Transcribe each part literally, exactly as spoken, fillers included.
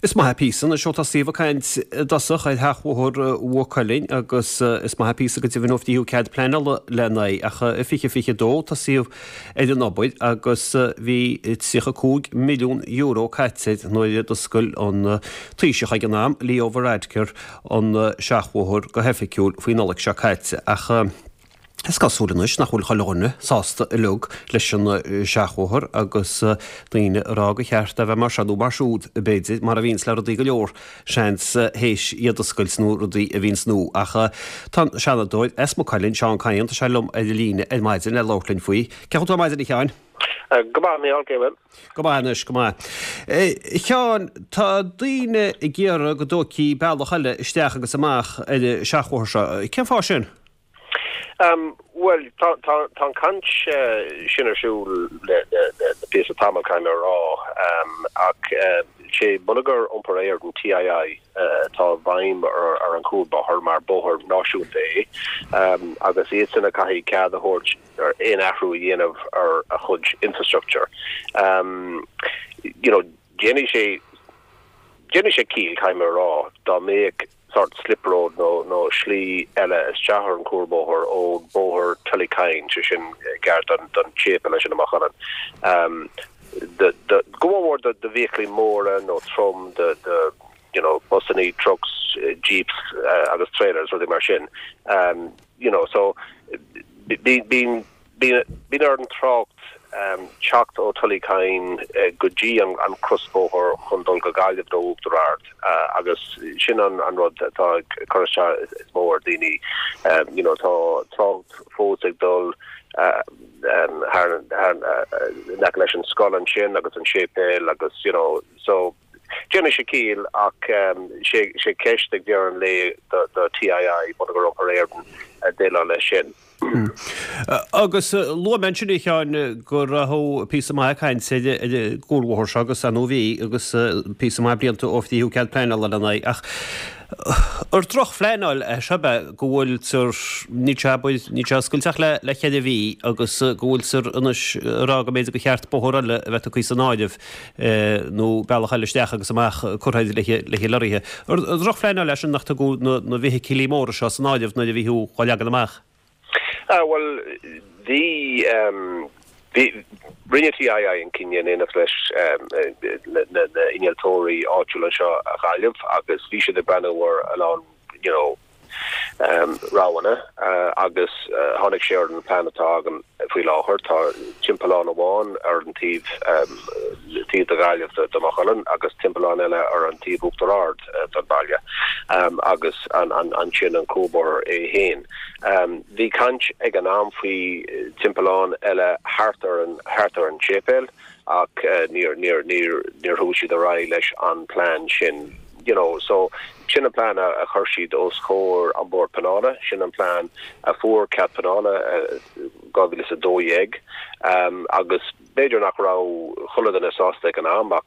Is maith píosa anois ó tosaíodh ag caint i dtosach ar sheachbhóthar Mhaigh Cuilinn agus is maith píosa go deimhin ó frítheadh cead pleanála lena aghaidh ach i fiche fiche dó tosaíodh ar an obair agus bhí tríocha cúig milliún euro caite nuair a d'oscail an Taoiseach ag an am, Leo Varadkar, an seachbhóthar go hoifigiúil faoin Nollaig seo caite. Ach is cosúil anois nach bhfuil chuile dhuine sásta uilig leis an seachbhóthar agus daoine ag rá gur cheart a bheith mar seo nó mar siúd, b'fhéidir, mar a bhíonns le rudaí go leor, seans, théis iad a oscailt nó rudaí a bhíonns nua. Ach tá an Seanadóir as Maigh Cuilinn, Seán Kyne, tá sé liom ar an líne ar maidin le labhairt linn faoi. Cén chaoi a bhfuil tú ar maidin, a Sheáin? Go maith, Mícheál, cén chaoi a bhfuil? Go maith anois, go maith. A Sheáin, tá daoine ag iarraidh go dtógfaí bealach eile isteach agus amach ar an seachbhóthar seo. Cén fáth sin? Bhuel, tá an chaint sin ar siúl le píosa tamall, caithfidh mé a rá, ach sé Bonneagar Iompair Éireann, TII, atá i bhfeidhm ar an chuarbhóthar mar bóthar náisiúnta é agus iadsan a chaithfidh cead a thabhairt ar aon athrú a dhéanamh ar a chuid infrastructure. You know, déanfaidh sé déanfaidh sé ciall, caithfidh mé a rá, dá mbeadh sort slip road nó nó slí eile isteach ar an chuarbhóthar ón bóthar Tullykyne, sé sin gar don don tséipéal ansin i Maigh Cuilinn. Do do go mór mór do do bhfeithiclí móra nó trom do do you know busannaí, trucks, jeeps agus trailers, rudaí mar sin. You know so bíonn bíonn Bíonn ar an trácht teacht ó Tullykyne go dtí an crosbhóthar chun dul go Gaillimh nó Uachtar Ard agus sin an rud atá ag cur isteach is mó ar daoine. You know tá trácht fós ag dul thar in aice leis an scoil ansin agus an séipéal agus you know so déanann sé ciall ach sé sé ceist ag deireadh an lae do TII, Bonneagar Iompair Éireann, déileáil leis sin. Agus luaigh mé ansin, a Sheáin, go raibh píosa maith cainte ar an gcuarbhóthar seo agus ar ndóigh bhí agus píosa maith blianta ó frítheadh cead pleanála lena aghaidh ach ar drochphleanáil é seo ab ea go bhfuiltear, níl sé, abair, níl sé oscailte ach le le ceithre mhí agus go bhfuiltear anois ag rá go mb'fhéidir gur cheart bóthar eile a bheith tugtha san áireamh nó bealach eile isteach agus amach curtha le na lorraithe. Ar drochphleanáil é sin nach tugadh na bhfeithiclí móra seo san áireamh nuair a bhí tú á leagan amach? Ah, bhuel, bhí, bhí, rinne TII an cinneadh in éineacht leis na innealtóirí áitiúla anseo i Gaillimh agus bhí siad ag breathnú ar a lán, you know, roghanna agus tháinig sé ar an plean atá againn faoi láthair. Tá timpeallán amháin ar an taobh taobh de Ghaillimh de Mhaigh Cuilinn agus timpeallán eile ar an taobh Uachtar Ard den bhaile agus ansin an cuarbhóthar é féin. Bhí caint ag an am faoi timpeallán eile thart ar an thart ar an séipéal ach níor níor níor níor chuaigh siad ar aghaidh leis an plean sin. You know, so sin an plean a chuir siad os comhair an Bord Pleanála, sin an plean a fuair cead pleanála dhá mhíle is a dó dhéag agus b'fhéidir nach raibh chuile dhuine sásta ag an am ach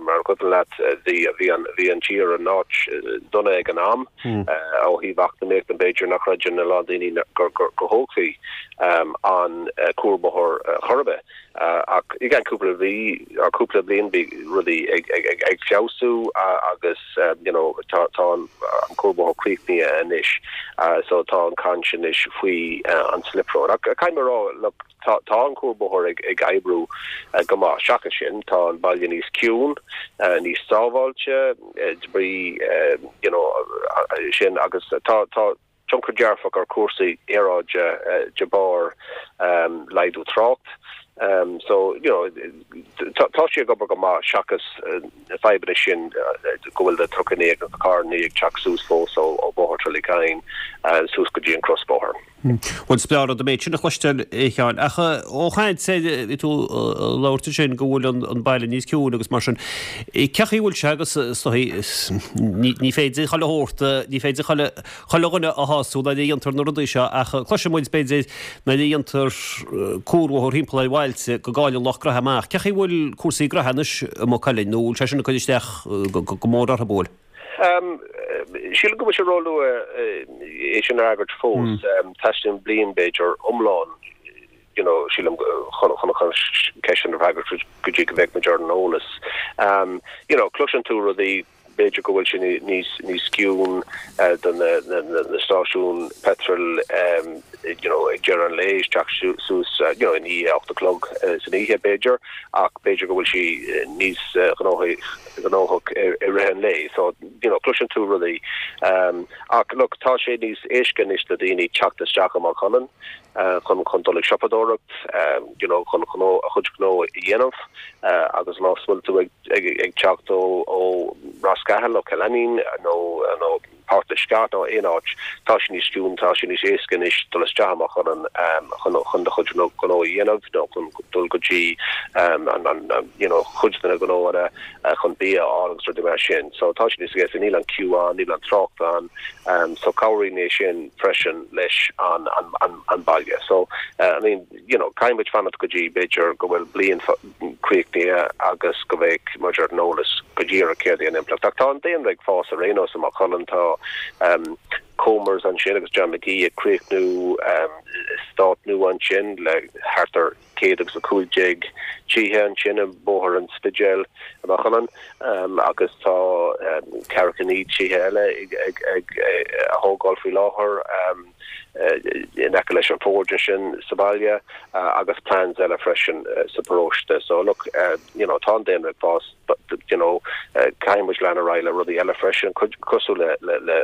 mar a cuimhin leat bhí bhí an bhí an tír in áit dona ag an am ó thaobh eacnamaíochta b'fhéidir nach gcreideann a lán daoine gur gur go thógfaí an cuarbhóthar chor ar bith. Ach i gceann cúpla mhí or cúpla bliain bhí rudaí ag ag ag ag feabhsú agus you know tá tá an cuarbhóthar críochnaithe anois so tá an caint anois faoi an slip road. Ach caithfidh mé a rá look tá tá an cuarbhóthar ag ag oibriú go maith. Seachas sin tá an baile níos ciúin, níos sábháilte de bhrí you know sin agus tá tá tionchar dearfach ar chúrsaí aeráide de bharr laghdú trácht. So, you know, tá sé ag obair go maith seachas na fadhbanna sin go bhfuil na trucannaí agus na carrannaí ag teacht suas fós ó Bhóthar Tullykyne suas go dtí an crosbhóthar. Bhuel, is breá an rud an méid sin a chloisteáil, a Sheáin. Ach ó chaint ar, bhí tú ag labhairt ansin go bhfuil an baile níos ciúine agus mar sin. Cén chaoi a bhfuil sé agus is dóigh ní féidir chuile shórt, ní féidir chuile chuile dhuine a shású nuair a dhéantar na rudaí seo ach cloiseann muid, b'fhéidir, nuair a dhéantar cuarbhóthar thimpeall ar bhailte go gcailleann lucht gnoithe amach. Cén chaoi a bhfuil cúrsaí gnoithe anois i Maigh Cuilinn nó bhfuil sé sin ag cur isteach go mór orthu, bhfuil? Sílim go bhfuil sé róluath é sin a fhreagairt fós. Teastaíonn bliain, b'fhéidir, iomlán. you know sílim chun chun chun ceist a fhreagairt go dtí go mbeidh muid ar an eolas. Um, you know, cloiseann tú rudaí b'fhéidir go bhfuil sé níos níos ciúine uh, do na, na, na, na stáisiún petrol um, you know, ag deireadh an lae isteach suas uh, you know, in í ocht a chlog uh, san oíche b'fhéidir ach b'fhéidir go bhfuil sí níos uh, gnóthach i rith an lae so you know, cloiseann tú rudaí um, ach look, tá sé níos éasca anois do daoine teacht isteach i Maigh Cuilinn uh, chun chun dul ag siopadóireacht um, you know, chun chun a chuid gnó a dhéanamh uh, agus má bhfuil tú ag, ag, ag teacht ó ó Ros Cathail ó Cill Ainnín nó nó Port Scat nó aon áit tá sé níos ciúine tá sé níos éasca anois dul isteach amach chun an um, chun chun do chuid gnó a dhéanamh nó chun dul go dtí um, an, an, an, you know, chuid de na gnóanna uh, chun bia agus rudaí mar sin. So tá sé níos éasca níl an queue ann níl an trácht ann um, so cabhraíonn é sin freisin leis an, an, an, an baile. So uh, I mean, you know, caithfidh muid fanacht go dtí b'fhéidir go bhfuil bliain críochnaithe agus go mbeidh muid ar an eolas go díreach céard é an impleacht. Tá an daonra ag fás ar aon nós i Maigh Cuilinn tá um, Comers ansin agus John McGee ag críochnú um, eastát nua ansin le thart ar céad agus a cúig déag tithe ansin i Bóthar an Spidéil i Maigh Cuilinn um, agus tá um, ceathracha naoi tithe eile ag, ag, ag, ag a thógáil faoi láthair um, uh, in aice leis an Forge sin sa bhaile uh, agus plans eile freisin uh, sa paróiste so look uh, you know tá daonra ag fás but you know uh, caithfidh muid lean ar aghaidh le rudaí eile freisin cosúil le le le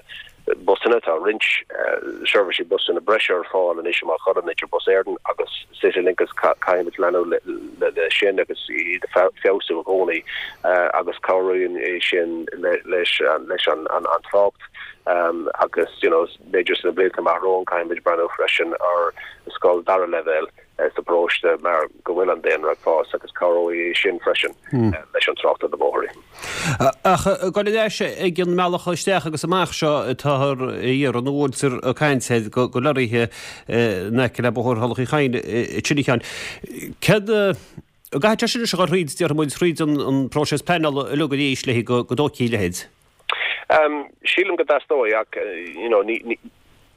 busanna tá roinnt uh, seirbhísí busanna breise ar fáil anois i Maigh Cuilinn idir Bus Éireann agus Citylink agus caithfidh muid leanúint le, le, le sin agus iad feabhsú i gcónaí uh, agus cabhraíonn é sin le, leis an leis an an, an trácht um, agus you know b'fhéidir sna blianta amach romhainn caithfidh muid breathnú freisin ar scoil dara leibhéal uh, sa bparóiste mar go bhfuil an daonra ag fás agus cabhróidh sin freisin hmm. uh, leis an trácht ar na bóithre. Ach go leis ag an mbealach isteach agus amach seo táthar ar an bhfuiltear ag caint go go háirithe in aice le Bóthar Thulach Uí Chadhain trína chéile. Cad Ga sin se chuid dear muid tríd an an próiseas pleanála uilig arís le go go dócí leid. Um, sílim go dteastóidh ach you know, ní, ní,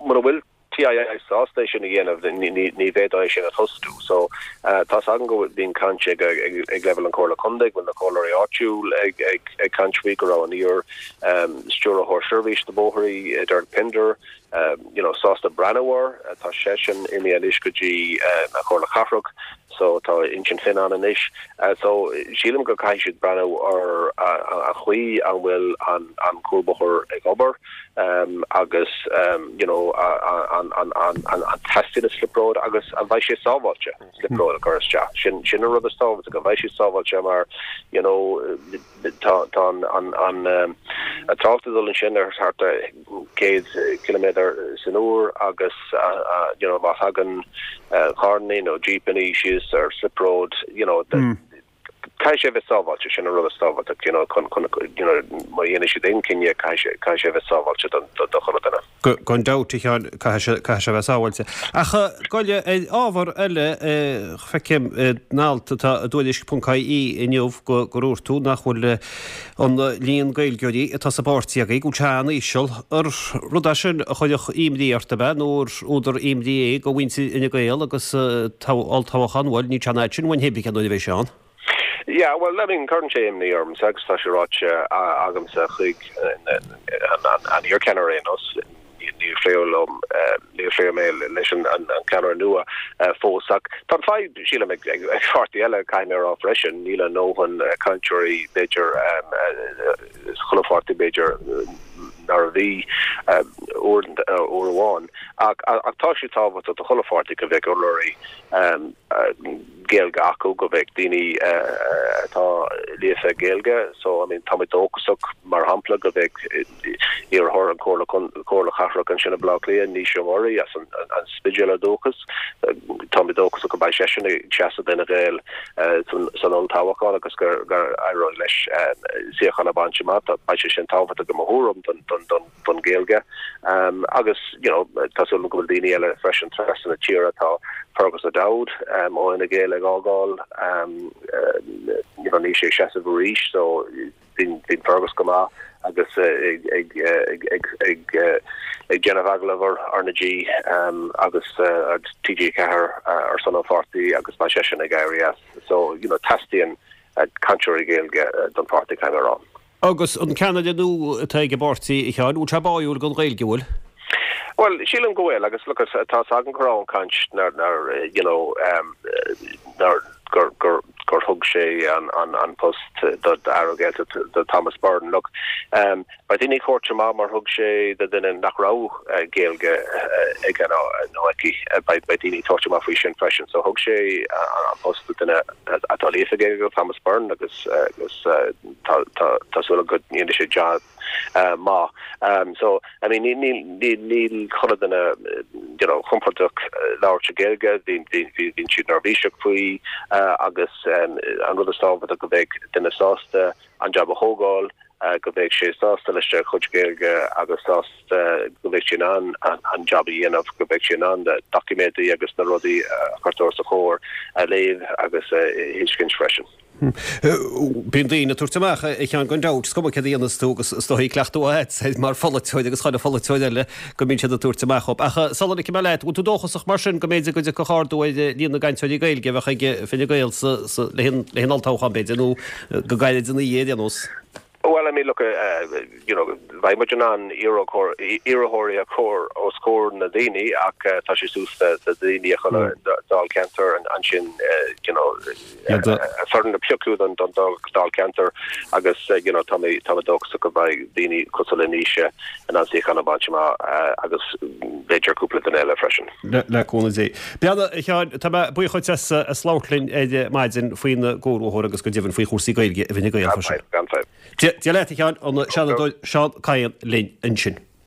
mura bhfuil TII sásta sin a dhéanamh ní bheidh sin ag tosú so uh, tá an go bhíonn caint ag ag leibhéal an Chomhairle Contae bhfuil na comhairleoirí áitiúil ag ag ag caint faoi go raibh an iar um, stiúrthóir seirbhís na bóithre Derek Pinder um, you know sásta breathnú air uh, tá seisean imithe anois go dtí uh, an Chomhairle Cathrach so tá Uinseann Finn ann anois uh, so sílim go caithfidh siad breathnú ar an chaoi an bhfuil an an cuarbhóthar ag obair um, agus um, you know an an an an an teastaíonn an slip road agus an bhfuil sé sábháilte slip road a chur isteach sin sin an rud is tábhachtaí go bhfuil sé sábháilte mar you know tá tá an an an um, an trácht ag dul ansin ar thart céad kilometer san uair agus uh, uh, you know má thagann uh, carranna nó jeepanna síos ar slip road you know the, mm. Caithfidh sé bheith sábháilte sin an rud is tábhachtaí you know chun chun you know má dhéanann siad aon chinneadh caithfidh sé bheith sábháilte don do chuile dhuine. Gan dabht caithfidh sé bheith sábháilte. Ach goile ábhar eile feicim in alt atá i dtuairisc ponc ie inniu go go ndúirt tú nach bhfuil an líon Gaeilgeoirí atá sa bpáirtí agaibh go bhfuil sé an-íseal ar rud é sin a chuirfeadh imní ort ab ea nó údar imní é do mhuintir Fhine Gael agus olltoghchán bhuel ní tean sin bhain hebí an bheith seán. Yeah, well, I mean, cuireann sé imní orm agus tá sé ráite agamsa chuig an iarcheannaire nós ní phléim ní phléim mé leis an an ceannaire nua fós ach tá fadhb sílim ag páirtí eile caithfidh mé rá freisin níl a ndóthain cainteoirí b'fhéidir chuile pháirtí b'fhéidir mar a bhí uair amháin ach ach tá sé tábhachtach do chuile pháirtí go bheadh urlabhraí Gaeilge acu go bheadh daoine atá líofa Gaeilge so I mean tá mé dóchasach mar shampla go bheadh iarrthóir an Chomhairle Comhairle Cathrach ansin i Baile Átha Cliath Naoise Ó Muirí as an an Spidéal ar dóchas tá mé dóchasach go mbeidh seisean ag seasamh d'Fhine Gael san olltoghchán agus gur gur éireoidh leis suíochán a bhaint amach beidh sé sin tábhachtach go mór don don don don Ghaeilge um, agus you know tá súil go bhfuil daoine eile freisin trasna na tíre tá Fergus O'Dowd um, ó Fhine Gael ag ag fhágáil you know níl sé ag seasamh arís so bíonn bíonn Fergus go maith agus ag ag ag ag ag ag déanamh agallamh ar R na G agus TG Ceathair ar son an pháirtí agus beidh seisean ag éirí as so you know teastaíonn cainteoirí Gaeilge don pháirtí caithfidh mé a rá. Agus an ceannaire nua atá ag an bpáirtí a Sheáin, bhfuil sé báúil don Ghaeilge bhfuil? Well sílim go bhfuil agus look tá agam go raibh an caint nar nar you know um, nar gur gur gur thug sé an an an post do aire Gaeltachta do Thomas Byrne look um beidh daoine ag tabhairt amach mar thug sé do duine nach raibh uh, Gaeilge uh, aige nó nó aici uh, beidh beidh daoine ag tabhairt amach faoi sin freisin so thug sé uh, an post do duine atá líofa Gaeilge Thomas Byrne agus uh, agus uh, tá tá tá súil go ndéanfaidh sé job uh, maith um, so I mean ní ní ní níl chuile dhuine you know compordach labhairt Gaeilge bhí bhí bhí bhí siad neirbhíseach faoi uh, agus um, an rud is tábhachtaí go mbeidh duine sásta an job a thógáil uh, go mbeidh sé sásta leis a chuid Gaeilge agus sásta go mbeidh sé an an, an job a dhéanamh go mbeidh sé an doiciméidí agus na rudaí uh, chuirtear os a chomhair a léamh agus uh, thuiscint freisin. Bíonn daoine ag tabhairt amach a Sheáin gan dabht is cuma céard a dhéanas tú agus is dóigh cleachtadh agat mar pholaiteoir agus chuile pholaiteoir eile go mbíonn siad ag tabhairt amach. Ach sula ligfidh mé leat, bhfuil tú dóchasach mar sin go mb'fhéidir go dtiocfaidh ardú ar líon na gcainteoirí Gaeilge a bheadh ag Fine Gael le haghaidh an olltoghchán b'fhéidir nó go gairid ina dhiaidh nós. Well, I mean, look, uh, you know, bheidh muid in ann iarrthóirí a chur os comhair na daoine ach uh, tá sé suas le daoine a chun dáilcheantar ansin you know foireann a phiocadh don don dáilcheantar agus uh, you know tá tá dóchasach go mbeidh daoine cosúil le Naoise in ann suíochán a bhaint amach agus b'fhéidir cúpla duine eile freisin. Le cúnamh Dé. Beanna Sheáin tá buíoch as as labhairt linn ar maidin faoin gcomhbhóthar agus go deimhin faoi chúrsaí Gaeilge i bhFine Gael freisin. Gan Dia leat a Sheáin an Seanadóir Seán Kyne linn ansin.